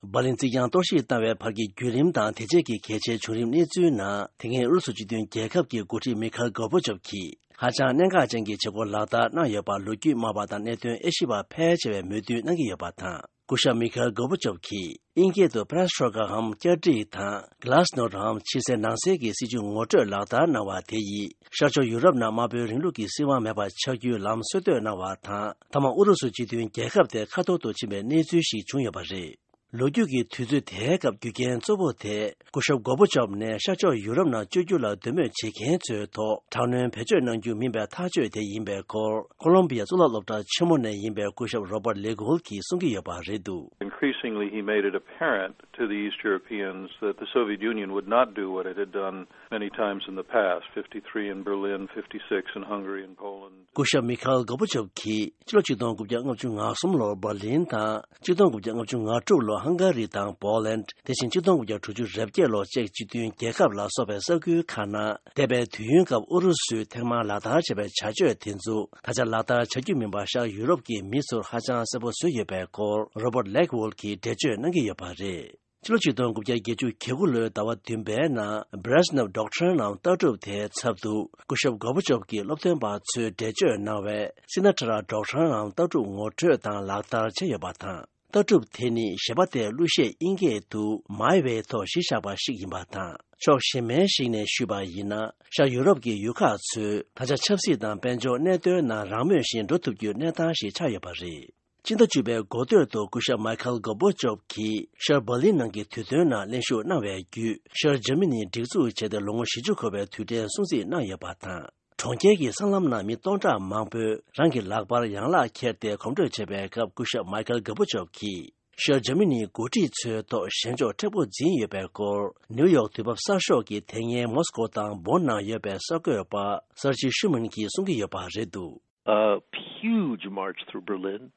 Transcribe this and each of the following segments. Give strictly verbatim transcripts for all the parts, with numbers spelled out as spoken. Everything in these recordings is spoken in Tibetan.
འབར་ལིན་རྩིག་གྱང་གཏོར་བཤིག་བཏང་བའི་བར་གྱི་བརྒྱུད་རིམ་དང་དེ་རྗེས་ཀྱི་གལ་ཆེའི་བྱུང་རིམ་གནས་ཚུལ་ནང་། དེ་སྔའི་ཨུ་རུ་སུ་སྤྱི་མཐུན་རྒྱལ་ཁབ་ཀྱི་འགོ་ཁྲིད་མི་ཁ་ཨེལ་གོར་བྷ་ཆོབ་ཀྱིས་ཧ་ཅང་གནད་འགག་ཅན་གྱི་བྱེད་སྒོ་ལག་བསྟར་གནང་ཡོད་པར་ལོ་རྒྱུས་སྨྲ་བ་དང་གནད་དོན་དབྱེ་ཞིབ་པ་ཕལ་ཆེ་བས་མོས་མཐུན་གནང་གི་ཡོད་པ་དང་། སྐུ་ཞབས་མི་ཁ་ཨེལ་གོར་བྷ་ཆོབ་ཀྱིས་དབྱིན་སྐད་དུ་པེ་རེ་སི་ཊོ་ཀ་འམ་བསྐྱར་སྒྲིག་དང་གྷ་ལཱ་སི་ནོ་ཊ་འམ་ཕྱི་གསལ་ནང་གསལ་གྱི་སྲིད་ཇུས་ངོ་སྤྲོད་ལག་བསྟར་གནང་བ་དེ་ཡིས་ཤར་ཕྱོགས་ཡུ་རོབ་ནང་དམར་པོའི་རིང་ལུགས་ཀྱི་སྲིད་དབང་མེད་པར་ཆགས་རྒྱུའི་ལམ་སྲོལ་གཏོད་གནང་བ་དང་། མཐའ་མ་ཨུ་རུ་སུ་སྤྱི་མཐུན་རྒྱལ་ཁབ་དེ་ཁ་འཐོར་དུ་ཕྱིན་པའི་གནས་ཚུལ་ཞིག་བྱུང་ཡོད་པ་རེད། ལོ་རྒྱུས་ཀྱི་དུས་ཚོད་དེའི་སྐབས་རྒྱུ་རྐྱེན་གཙོ་བོ་དེ་སྐུ་ཞབས་གོར་བྷ་ཆོབ་ནས་ཤར་ཕྱོགས་ཡུ་རོབ་ནང་བསྐྱོད་རྒྱུ་ལ་འདོད་མོས་བྱེད་མཁན་ཚོའི་ཐོག་དྲག་གནོན་བེད་སྤྱོད་གནང་རྒྱུ་མིན་པའི་ཐག་གཅོད་དེ་ཡིན་པའི་སྐོར། ཁོ་ལོམ་བི་ཡ་གཙུག་ལག་སློབ་གྲྭ་ཆེན་མོ་ནས་ཡིན་པའི་སྐུ་ཞབས་Robert Legwohl གྱིས་གསུང་གི་ཡོད་པ་རེད་འདུག Increasingly, he made it apparent to the East Europeans that the Soviet Union would not do what it had done many times in the past, fifty-three in Berlin, fifty-six in Hungary and Poland. སྐུ་ཞབས་མི་ཁ་ཨེལ་གོར་བྷ་ཆོབ་ཀྱིས་ཕྱི་ལོ་ཆིག་སྟོང་དགུ་བརྒྱ་ལྔ་བཅུ་ང་གསུམ་ལོར་འབར་ལིན་དང་། ཆིག་སྟོང་དགུ་བརྒྱ་ལྔ་བཅུ་ང་དྲུག་ལོར་ཧང་ག་རི་དང་པོ་ལན། དེ་བཞིན་ཆིག་སྟོང་དགུ་བརྒྱ་དྲུག་ཅུ་རེ་བརྒྱད་ལོར་ཅེཀ་སྤྱི་མཐུན་རྒྱལ་ཁབ་ལ་སོགས་པའི་ས་ཁུལ་ཁག་ནང་། འདས་པའི་དུས་ཡུན་སྐབས་ཨུ་རུ་སུས་ཐེངས་མང་ལག་བསྟར་བྱས་པའི་བྱ་སྤྱོད་དེ་ཚོ་ད་ཆ་ལག་བསྟར་བྱ་རྒྱུ་མིན་པ་ཤར་ཡུ་རོབ་ཀྱི་མི་ཚོར་ཧ་ཅང་གསལ་པོ་བཟོས་ཡོད་པའི་སྐོར། Robert Legwohl གྱིས་འགྲེལ་བརྗོད་གནང་གི་ཡོད་པ་རེད། ཕྱི་ལོ་ཆིག་སྟོང་དགུ་བརྒྱ་བརྒྱད་ཅུ་གྱ་དགུ་ལོའི་ཟླ་བ་བདུན་པའི་ནང་Brezhnev doctrine ནམ་ལྟ་གྲུབ་དེའི་ཚབ་ཏུ། སྐུ་ཞབས་གོར་བྷ་ཆོབ་ཀྱིས་སློབ་སྟོན་པ་ཚོས་འགྲེལ་བརྗོད་གནང་བའི་Sinatra doctrine ནམ་ལྟ་གྲུབ་ངོ་སྤྲོད་དང་ལག་བསྟར་བྱས་ཡོད་པ་དང་། ལྟ་གྲུབ་དེ་ནི་ཞེ་པོ་ཏེ་གླུ་གཞས་དབྱིན་སྐད་དུ་My Way ཐོག་གཞི་བཞག་པ་ཞིག་ཡིན་པ་དང་། ཕྱོགས་གཞན་མའི་ཞིག་ནས་ཞུས་པ་ཡིན་ན། ཤར་ཡུ་རོབ་ཀྱི་ཡུལ་ཁག་ཚོས་ད་ཆ་ཆབ་སྲིད་དང་དཔལ་འབྱོར་གནད་དོན་ནང་རང་མོས་བཞིན་འགྲོ་ཐུབ་རྒྱུའི་གནས་སྟངས་ཤིག་ཆགས་ཡོད་པ་རེད། སྤྱི་ཟླ་བཅུ་པའི་འགོ་སྟོད་དུ་སྐུ་ཞབས་མའི་ཁལ་གོར་བྷ་ཆོབ་ཀྱིས་ཤར་འབར་ལིན་ནང་གི་དུས་སྟོན་ནང་གླེང་ཞུགས་གནང་བའི་བརྒྱུད། ཤར་འཇར་མ་ནི་སྒྲིག་འཛུགས་བྱས་ཏེ་ལོ་ངོ་བཞི་བཅུ་འཁོར་བའི་དུས་དྲན་སྲུང་བརྩི་གནང་ཡོད་པ་དང་། གྲོང་ཁྱེར་གྱི་སྲང་ལམ་ནང་མི་སྟོང་ཕྲག་མང་པོས་རང་གི་ལག་པར་ཡན་ལག་འཁྱེར་ཏེ་གོམ་བགྲོད་བྱས་པའི་སྐབས། སྐུ་ཞབས་མའི་ཁལ་གོར་བྷ་ཆོབ་ཀྱིས་ཤར་འཇར་མ་ནིའི་འགོ་ཁྲིད་ཚོའི་ཐོག་ཞེན་ཕྱོགས་མཁྲེགས་པོ་འཛིན་ཡོད་པའི་སྐོར། ནིའུ་ཡོག་དུས་བབ་གསར་ཤོག་གིས་དེ་སྔའི་མོ་སི་ཀོ་དང་བོན་ནང་ཡོད་པའི་གསར་འགོད་པ་སར་ཇི་ཤུ་མན་གྱིས་གསུང་གི་ཡོད་པ་རེད་འདུག A huge march through Berlin,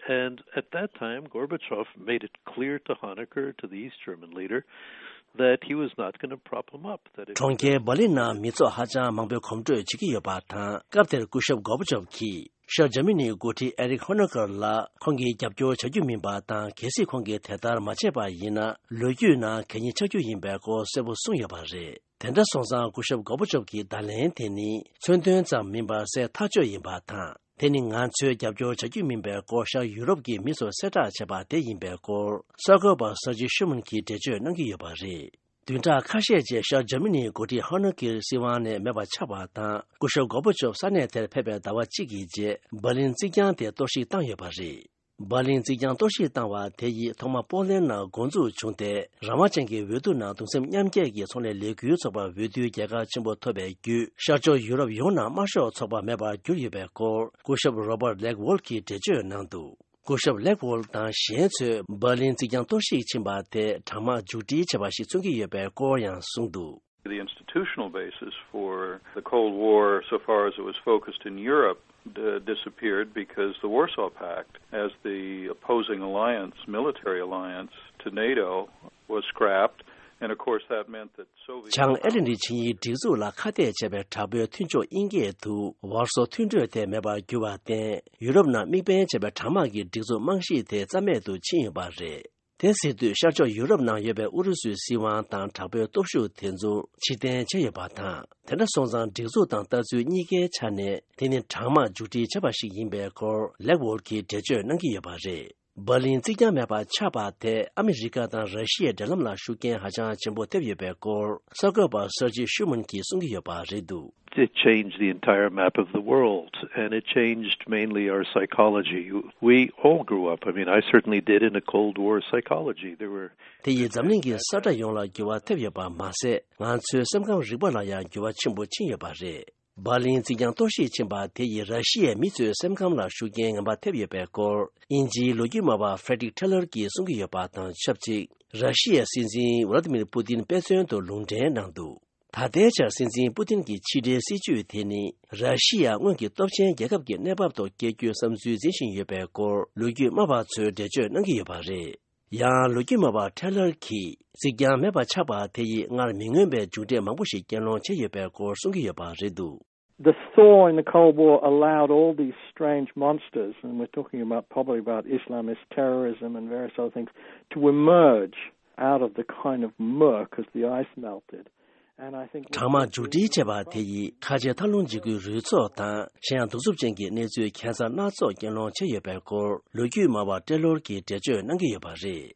and at that time, Gorbachev made it clear to Honecker, to the East German leader, that he was not going to prop him up. That if གྲོང་ཁྱེར་འབར་ལིན་ནང་མི་ཚོགས་ཧ་ཅང་མང་པོས་གོམ་བགྲོད་བྱེད་ཀྱི་ཡོད་པ་དང་། སྐབས་དེར་སྐུ་ཞབས་གོར་བྷ་ཆོབ་ཀྱིས་ཤར་འཇར་མ་ནིའི་འགོ་ཁྲིད་ཨེ་རིག་ཧོ་ནེ་ཀར་ལ་ཁོང་གིས་རྒྱབ་སྐྱོར་བྱ་རྒྱུ་མིན་པ་དང་། གལ་སྲིད་ཁོང་གིས་དེ་ལྟར་མ་བྱས་པ་ཡིན་ན། ལོ་རྒྱུས་ནང་གད་སྙིགས་ཆགས་རྒྱུ་ཡིན་པའི་སྐོར་གསལ་པོ་གསུངས་ཡོད་པ་རེད། དེ་འདྲ་སོང་ཙང་། སྐུ་ཞབས་གོར་བྷ་ཆོབ་ཀྱི་བརྡ་ལན་དེ་ནི་མཚོན་དོན་ཙམ་མིན་པར་གསལ་ཐག་ཆོད་ཡིན་པ་དང་། དེ་ནི་ང་ཚོའི་རྒྱབ་སྐྱོར་བྱ་རྒྱུ་མིན་པའི་སྐོར་ཤར་ཡུ་རོབ་ཀྱི་མི་ཚོར་གསལ་བསྒྲགས་བྱས་པ་དེ་ཡིན་པའི་སྐོར། གསར་འགོད་པ་སར་ཇི་ཤུ་མན་གྱིས་འགྲེལ་བརྗོད་གནང་གི་ཡོད་པ་རེད། བདུན་ཕྲག་ཁ་ཤས་རྗེས་ཤར་འཇར་མ་ནིའི་འགོ་ཁྲིད་ཧོ་ནེ་ཀེར་སྲིད་དབང་ནས་མེད་པ་ཆགས་པ་དང་། སྐུ་ཞབས་གོར་བྷ་ཆོབ་ས་གནས་དེར་ཕེབས་པའི་ཟླ་བ་གཅིག་གི་རྗེས། འབར་ལིན་རྩིག་གྱང་དེ་གཏོར་བཤིག་བཏང་ཡོད་པ་རེད། འབར་ལིན་རྩིག་གྱང་གཏོར་བཤིག་བཏང་བ་དེ་ཡིས་ཐོག་མར་པོ་ལན་ནང་འགོ་འཛུགས་བྱུང་སྟེ། རང་དབང་ཅན་གྱི་འོས་བསྡུ་ནང་གདུང་སེམས་མཉམ་སྐྱེད་ཀྱི་ཚོང་ལས་ལས་འགུལ་ཚོགས་པ་འོས་བསྡུའི་རྒྱལ་ཁ་ཆེན་པོ་ཐོབ་པའི་བརྒྱུད། ཤར་ཕྱོགས་ཡུ་རོབ་ཡོངས་ནང་དམར་ཤོག་ཚོགས་པ་མེད་པར་གྱུར་ཡོད་པའི་སྐོར། སྐུ་ཞབས་Robert Legwohl གྱིས་འགྲེལ་བརྗོད་གནང་འདུག་སྐུ་ཞབས་Legwohl དང་གཞན་ཚོས་འབར་ལིན་རྩིག་གྱང་གཏོར་བཤིག་ཕྱིན་པ་དེ་གྲངས་མང་མཇུག་སྒྲིལ་བྱས་པ་ཞིག་མཚོན་གྱི་ཡོད་པའི་སྐོར་ཡང་གསུངས་འདུག The institutional basis for the Cold War, so far as it was focused in Europe, d- disappeared because the Warsaw Pact, as the opposing alliance, military alliance to NATO, was scrapped. And of course, that meant that Soviet བྱང་ཨེ་ཊ་ལན་ཊིག་ཆིངས་ཡིག་སྒྲིག་འཛུགས་ལ་ཁ་གཏད་བྱས་པའི་དྲག་པོའི་མཐུན་ཕྱོགས་དབྱིན་སྐད་དུ་ཝར་སོ་མཐུན་གྲོས་དེ་མེད་པར་གྱུར་བར་བརྟེན། ཡུ་རོབ་ནང་དམིགས་འབེན་བྱས་པའི་གྲངས་མང་གི་སྒྲིག་འཛུགས་རྨང་གཞི་དེ་རྩ་མེད་དུ་ཕྱིན་ཡོད་པ་རེད། དེ་ཟེར་དུས། ཤར་ཕྱོགས་ཡུ་རོབ་ནང་ཡོད་པའི་ཨུ་རུ་སུའི་སྲིད་དབང་དང་དྲག་པོའི་སྟོབས་ཤུགས་དེ་ཚོ་ཕྱིར་འཐེན་བྱས་ཡོད་པ་དང་། དེ་འདྲ་སོང་ཙང་། སྒྲིག་འཛུགས་དང་ལྟ་ཚུལ་གཉིས་ཀའི་ཆ་ནས་དེ་ནི་གྲངས་མང་མཇུག་སྒྲིལ་བྱས་པ་ཞིག་ཡིན་པའི་སྐོར། Legwohl གྱིས་འགྲེལ་བརྗོད་གནང་གི་ཡོད་པ་རེད། འབར་ལིན་རྩིག་གྱང་མེད་པར་ཆགས་པ་དེ་ཨ་མི་རི་ཀ་དང་ར་ཤི་ཡའི་འབྲེལ་ལམ་ལ་ཤུགས་རྐྱེན་ཧ་ཅང་ཆེན་པོ་ཐེབས་ཡོད་པའི་སྐོར། གསར་འགོད་པ་སར་ཇི་ཤུ་མན་གྱིས་གསུང་གི་ཡོད་པ་རེད་འདུག It changed the entire map of the world, and it changed mainly our psychology. We all grew up, I mean, I certainly did, in a Cold War psychology. There were དེ་ཡིས་འཛམ་གླིང་གི་ས་ཁྲ་ཡོངས་ལ་འགྱུར་བ་ཐེབས་ཡོད་པ་མ་ཟད། ང་ཚོའི་སེམས་ཁམས་རིག་པ་ལ་ཡང་འགྱུར་བ་ཆེན་པོ་ཕྱིན་ཡོད་པ་རེད། འབར་ལིན་རྩིག་གྱང་གཏོར་བཤིག་ཕྱིན་པ་དེ་ཡིས་ར་ཤི་ཡའི་མི་ཚོའི་སེམས་ཁམས་ལ་ཤུགས་རྐྱེན་ངན་པ་ཐེབས་ཡོད་པའི་སྐོར། དབྱིན་ཇིའི་ལོ་རྒྱུས་སྨྲ་བ་Frederick Taylor གྱིས་གསུང་གི་ཡོད་པ་དང་ཆབས་ཅིག་ར་ཤི་ཡའི་སྲིད་འཛིན་Vladimir Putin དཔེ་མཚོན་དུ་ལུང་འདྲེན་གནང་འདུག་ད་ལྟའི་ཆར་སྲིད་འཛིན་པུ་ཏིན་གྱི་ཕྱི་འབྲེལ་སྲིད་ཇུས་དེ་ནི། ར་ཤི་ཡ་སྔོན་གྱི་སྟོབས་ཆེན་རྒྱལ་ཁབ་ཀྱི་གནས་བབ་ཐོག་སྐྱེལ་རྒྱུའི་བསམ་ཚུལ་འཛིན་བཞིན་ཡོད་པའི་སྐོར། ལོ་རྒྱུས་སྨྲ་བ་ཚོས་འགྲེལ་བརྗོད་གནང་གི་ཡོད་པ་རེད། ཡང་། ལོ་རྒྱུས་སྨྲ་བ་Taylor གྱིས། རྩིག་གྱང་མེད་པ་ཆགས་པ་དེ་ཡིས་སྔར་མི་མངོན་པའི་མཇུག་འབྲས་མང་པོ་ཞིག་རྐྱེན་སློང་བྱས་ཡོད་པའི་སྐོར་གསུང་གི་ཡོད་པ་རེད་འདུག The thaw in the Cold War allowed all these strange monsters, and we're talking about, probably about Islamist terrorism and various other things, to emerge out of the kind of murk as the ice melted. And I think གྲང་དམག་མཇུག་སྒྲིལ་བྱས་པ་དེ་ཡིས་ཁ་ཆེ་ཐབས་ལམ་འཇིགས་སྐུལ་རུས་ཚོགས་དང་གཞན་ཡང་གདུག་རྩུབ་ཅན་གྱི་གནས་ཚུལ་ཁྱད་མཚར་སྣ་ཚོགས་རྐྱེན་སློང་བྱས་ཡོད་པའི་སྐོར་ལོ་རྒྱུས་སྨྲ་བ་ཏྲེ་ལོར་གྱིས་འགྲེལ་བརྗོད་གནང་གི་ཡོད་པ་རེད།